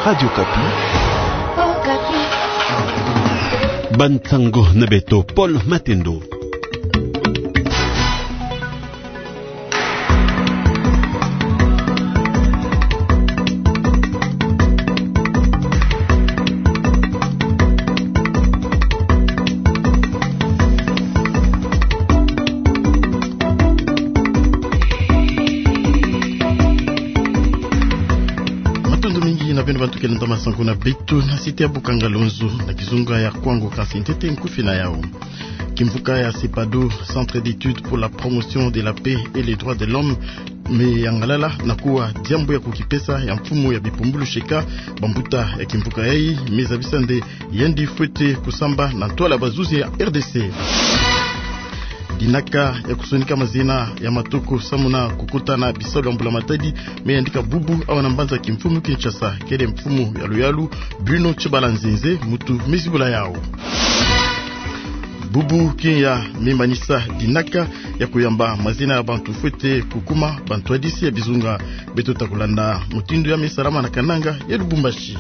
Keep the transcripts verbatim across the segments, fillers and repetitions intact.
Radio Okapi. Bansango na beto Paul Matendo. Matondo mingi na beno bantu ke landa masango na beto na site ya Bukanga Lonzo na kizunga ya Kwango, kansi ntete nkufi na yao. Kimvuka ya CEPADO, Centre d'études pour la promotion de la paix et les droits de l'homme, me yangalala na kuwa diambu ya kukipesa ya mfumu ya bipumbulu Sheka. Bambuta ya kimvuka yayi me zabisa nde yandi fwete kusamba na ntwala ya bazuzi ya RDC. Dinaka ya kusonika mazina ya matoko samu na kukota na bisalu ya mbula matadi me yandika bubu awa na mbanza kimfumu Kinshasa. Kele mfumu ya luyalu Bruno Tshibala Nzenze muntu me zibula yao. Bubu kinya me manisa dinaka ya kuyamba mazina ya bantu fwete kukuma bantwadisi ya bizunga. Beto ta kulanda mutindu ya me salama na kananga ya Lubumbashi.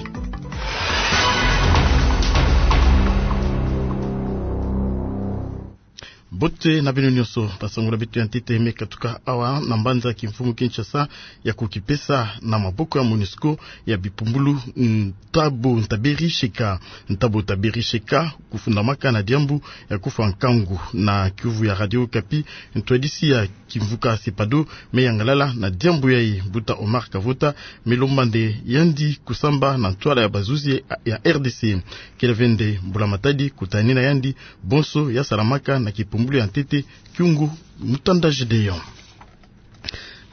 Mbote na beno nyonso. Basango na beto ya ntete me katuka awa na mbanza kimfumu Kinshasa ya kukipesa na maboko ya MONUSCO ya bipumbulu, mm, Ntabo Ntaberi Sheka. Ntabo Ntaberi Sheka kufundamaka na diambu ya kufwa nkangu. Na kiuvu ya Radio Okapi, ntwadisi ya kimvuka CEPADO me yangalala na diambu yayi. Mbuta Omar Kavota me lomba nde yandi kusamba na ntwala ya bazuzi ya RDC. Kele ve nde mbula matadi kutanina yandi bonso ya salamaka na kipumbulu ya ntete Kiungu Mutanda Gedeon.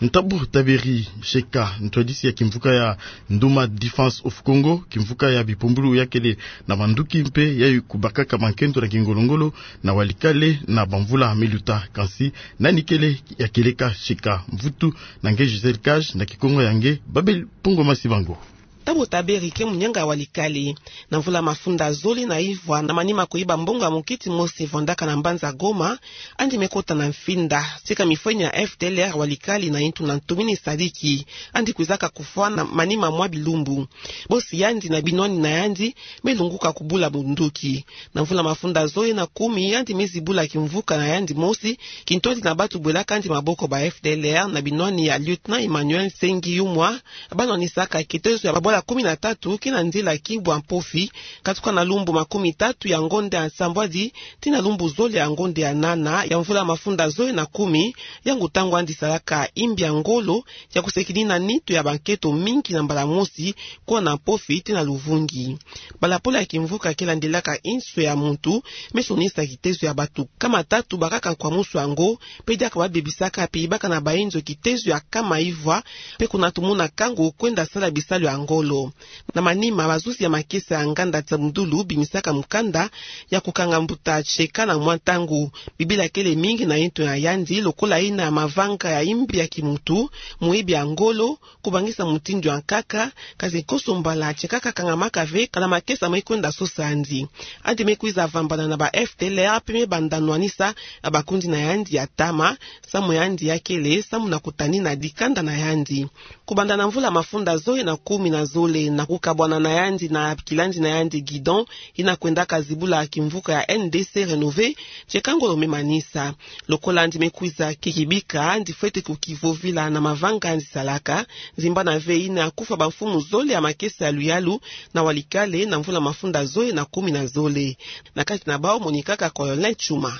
Ntabo Ntaberi Sheka, ntwadisi ya kimvuka ya Nduma Defense of Congo, kimvuka ya bipumbulu ya kele na manduki mpe ya kubakaka mankento na kingolongolo na Walikale na bamvula me luta. Kansi nani kele ya kieleka Sheka? Mvutu na nge Gisèle Cage, na Kikongo ya nge Babel Pongo Masibango. Ntabo Ntaberi ke munyanga ya Walikale. Na mvula mafunda zole na ivwa, na manima kuyiba mbongo ya mukiti mose vandaka na mbanza Goma, yandi me kota na mfinda, tika mifweni ya FDLR Walikale na yintu na ntomini sadiki. Yandi kwizaka kufwa na manima mwa bilumbu. Bosi yandi na binwani na yandi me lunguka kubula bunduki. Na mvula mafunda zole na kumi, yandi me zibula kimvuka na yandi mosi, kintwadi na bantu bwelaka yandi maboko ba FDLR na binwani ya Lieutenant Emmanuel Nsengi Yumwa, banwanisaka kitezo ya babwala kumi na tatu kina nzila Kibwa Mpofi, katuka na lumbu makumi tatu ya ngonda ya nsambwadi tii na lumbu zole ya ngonda ya nana ya mvula mafunda zole na kumi. Yango ntangu yandi salaka imbi ya ngolo ya kusekinina nitu ya bankento mingi na mbala mosi, kuna Mpofi tii na Luvungi. Balapolo ya kimvuka ke landilaka inso ya muntu me sonisa kitezo ya bantu nkama tatu bakaka nkwamusu yango, mpe diaka babebisaka mpe yibaka na bainzo kitezo ya nkama ivwa, mpe kuna tumona nkangu kwenda sala bisalu ya ngolo. Na manima, bazuzi ya makesa ya nganda Tsamdulu bimisaka mukanda ya kukanga mbuta Sheka na mwa ntangu. Bibila kele mingi na yintu na yandi lokola yina ya mavanga ya imbi ya kimuntu, muyibi ya ngolo, kubangisa mutindu ya nkaka, kansi nkoso mbala Sheka kakangamaka ve kana makesa me kwenda sosa yandi. Yandi me kwiza vambana na ba FDLR mpe me banda nwanisa na bakundi na yandi ya ntama, samu yandi ya kele samu na kutanina dikanda na yandi. Kubanda na mvula mafunda zole na kumi na zole, na kukabwana na yandi na kilandi na yandi Guidon, yina kwendaka zibula kimvuka ya NDC Renové, Sheka ngolo me manisa. Lokola yandi me kwiza kikibika, yandi fwete kukivovila na mavanga yandi salaka, zimbana ve yina kufwa bamfumu zole ya makesa ya luyalu na Walikale na mvula mafunda zole na kumi na zole. Na kati na bawu monikaka Colonel Tshuma.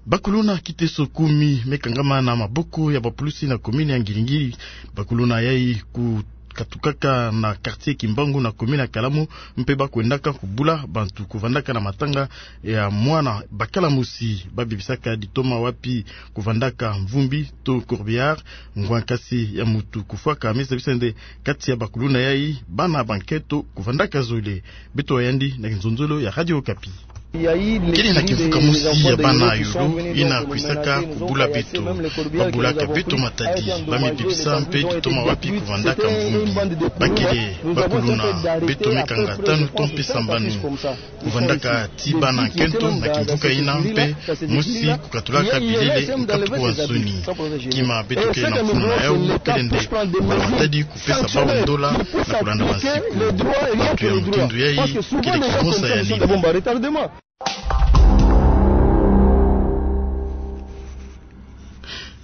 Bakuluna kiteso kumi me kangama na maboko ya bapulusi na commune ya Ngiri-Ngiri. Bakuluna yayi ku- katukaka na quartier Kimbangu na commune ya Kalamu, mpe ba kwendaka kubula bantu kuvandaka na matanga ya mwana bakala mosi. Babebisaka ditoma wapi kuvandaka mvumbi to corbillard. Ngwa nkasi ya muntu kufwaka me zabisa nde kati ya bakuluna yayi bana bankento kuvandaka zole. Beto wa yandi na kinzonzolo ya Radio Okapi. Kele na kimvuka mosi ya bana yolo yina kwisaka kubula beto. Babulaka beto matadi, ba me bebisa mpe ditoma wapi kuvandaka mvumbi. Bakele bakuluna beto meka nga tanu to mpe sambanu. Kuvandaka ti bana nkento na kimvuka yina mpe mosi kukatulaka bilele nkatuku wa nsoni. Kima beto kele na mfunu na yau kele nde kubula matadi, kupesa bau ndola na kulanda bansiku. Bantu ya mutindu yayi kele kikonsa ya nini?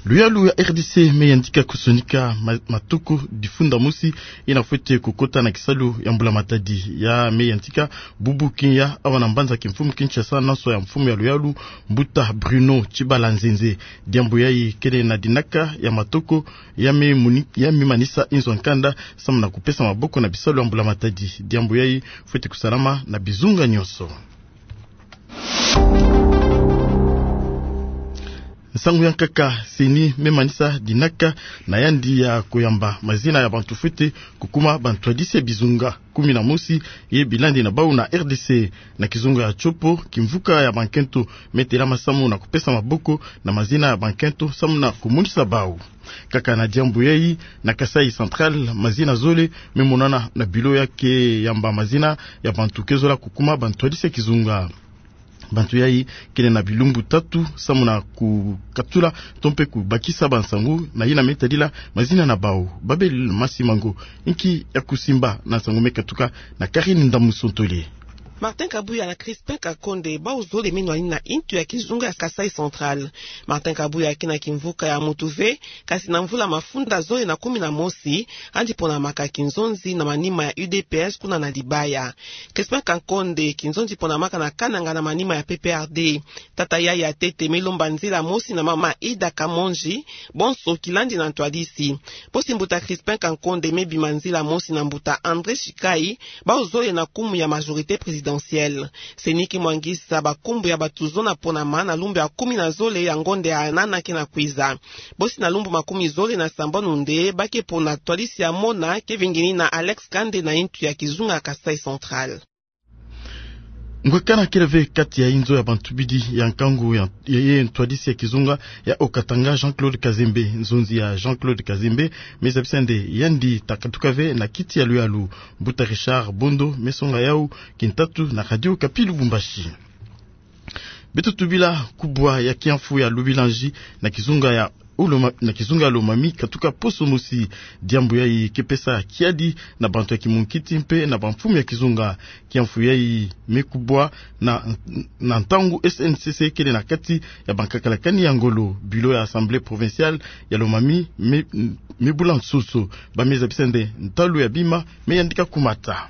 Luyalu ya R D C me yandika kusonika ma-, matoko difunda mosi yina fwete kukota na kisalu ya mbula matadi. Ya me yandika bubu kiya awa na mbanza kimfumu Kinshasa, na nso ya mfumu ya luyalu, mbuta Bruno Tshibala Nzenze. Diambu yayi kele na dinaka ya matoko ya me muni-, ya me manisa inzo ya nkanda samu na kupesa maboko na bisalu ya mbula matadi. Diambu yayi fwete kusalama na bizunga nyonso. Nsangu ya nkaka, CENI me manisa dinaka na yandi ya kuyamba mazina ya bantu fwete kukuma bantwadisi ya bizunga kumi na mosi ye bilandi na bau na R D C. Na kizunga ya Tshopo, kimvuka ya bankento me telama samu na kupesa maboko na mazina ya bankento samu na kumonisa bau. Kaka na diambu yayi, na Kasaï Central, mazina zole me monana na bilo ya kuyamba mazina ya bantu ke zola kukuma bantwadisi ya kizunga. Bantu yayi kele na bilumbu tatu samu na kukatula to mpe kubakisa bansangu na yina me tadila mazina na bau. Babel Masimango, inki ya kusimba na nsangu me katuka na Karine Ndamusontole. Martin Kabuya na Crispin Kankonde, bau zole me nwanina intu ya kizunga ya Kasaï Central. Martin Kabuya ke na kimvuka ya Moutouvé, kasi na mvula mafunda zole na kumi na mosi, yandi ponamaka kinzonzi na manima ya U D P S kuna na Libaya. Crispin Kankonde, kinzonzi ponamaka na Kananga na manima ya P P R D. Tata yayi ya ntete me lomba nzila mosi na mama Ida Kamonji, bonso kilandi na ntwadisi. Bosi mbuta Crispin Kankonde me bima nzila mosi na mbuta André Shikai, bau zole na nkumbu ya majorité présidentielle. CENI ke mwangisa bankumbu ya bantu zona ponama na lumbu ya kumi na zole ya ngonda ya nana ke na kwiza. Bosi na lumbu makumi zole na sambanu nde ba ke pona ntwadisi ya mona, ke vingini na Alex Kande na intu ya kizunga Kasaï Central. Ngwekana kele ve kati ya inzo ya bantu bidi ya nkangu ya, ya, ye ntwadisi ya kizunga ya Haut-Katanga, Jean-Claude Kazembe. Nzonzi ya Jean-Claude Kazembe me zabisa nde yandi ta katuka ve na kiti ya luyalu. Mbuta Richard Bondo me songa yau kintatu na Radio Okapi Lubumbashi. Beto tubila kubwa ya kiamfu ya Lubilanji na kizunga ya Loma-, na kizunga ya Lomami katuka poso mosi. Diambu yayi ke pesa kiadi na bantu ya kimunkiti mpe na bamfumu ya kizunga. Kiamfu yayi me kubwa na, na ntangu S N C C kele na kati ya bankakalakani ya ngolo. Bureau ya Assemblée provinciale ya Lomami me, me bula nsoso. Ba me zabisa nde ntalu ya bima me yandika kumata.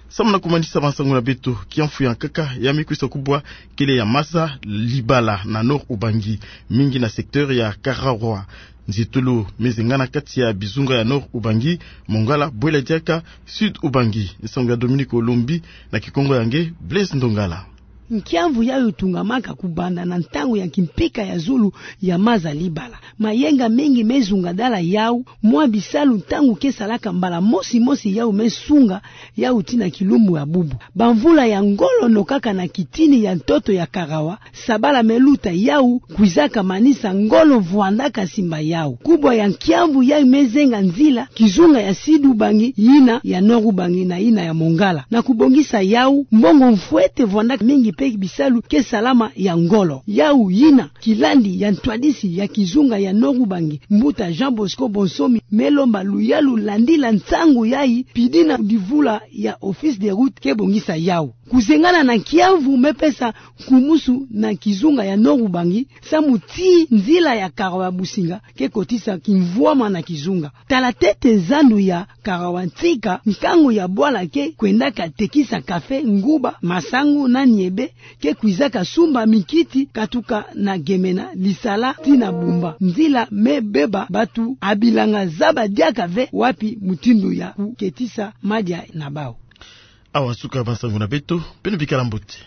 Samu na kumanisa bansangu na beto, kiamfu ya nkaka ya me kwisa kubwa kele ya maza Libala na Nord Ubangi, mingi na secteur ya Karawa. Nzietolo me zengana kati ya bizunga ya Nord Ubangi, Mongala, Bwela Diaka, Sud Ubangi. Nsangu ya Dominique Olombi, na kikongo ya nge Blaise Ndongala. Nkiamvu yayi tungamaka kubanda na ntangu ya kimpika ya zulu ya maza Libala. Mayenga mingi me zungadala yau, mwa bisalu ntangu ke salaka mbala mosi mosi yau me sunga yau tii na kilumbu ya bubu. Bamvula ya ngolo nokaka na kitini ya ntoto ya Karawa, sabala me luta yau kwizaka manisa ngolo vwandaka simba yau. Kubwa ya nkiamvu yayi me zenga nzila kizunga ya Sud Ubangi, yina ya Nord Ubangi na yina ya Mongala. Na kubongisa yau, mbongo mfwete vwandaka mingi mpe bisalu ke salama ya ngolo. Yau yina kilandi ya ntwadisi ya kizunga ya Nord Ubangi, mbuta Jean Bosco Bonsomi, me lomba luyalu landila nsangu yayi, pidi na divula ya Office des Routes ke bongisa yau. Kuzengana na nkiamvu me pesa nkumusu na kizunga ya Nord Ubangi, samu tii nzila ya Karawa Businga ke kotisa kimvwama na kizunga. Tala ntete zandu ya Karawa Ntsika, nkangu ya bwala ke kwendaka tekisa kafe, nguba, masangu na niebe, ke kwizaka sumba mikiti katuka na Gemena, Lisala tii na Bumba. Nzila me beba bantu ha bilanga zaba diaka ve wapi mutindu ya kuketisa madia na bau. Awa suka bansangu na beto, beno bikala mbote.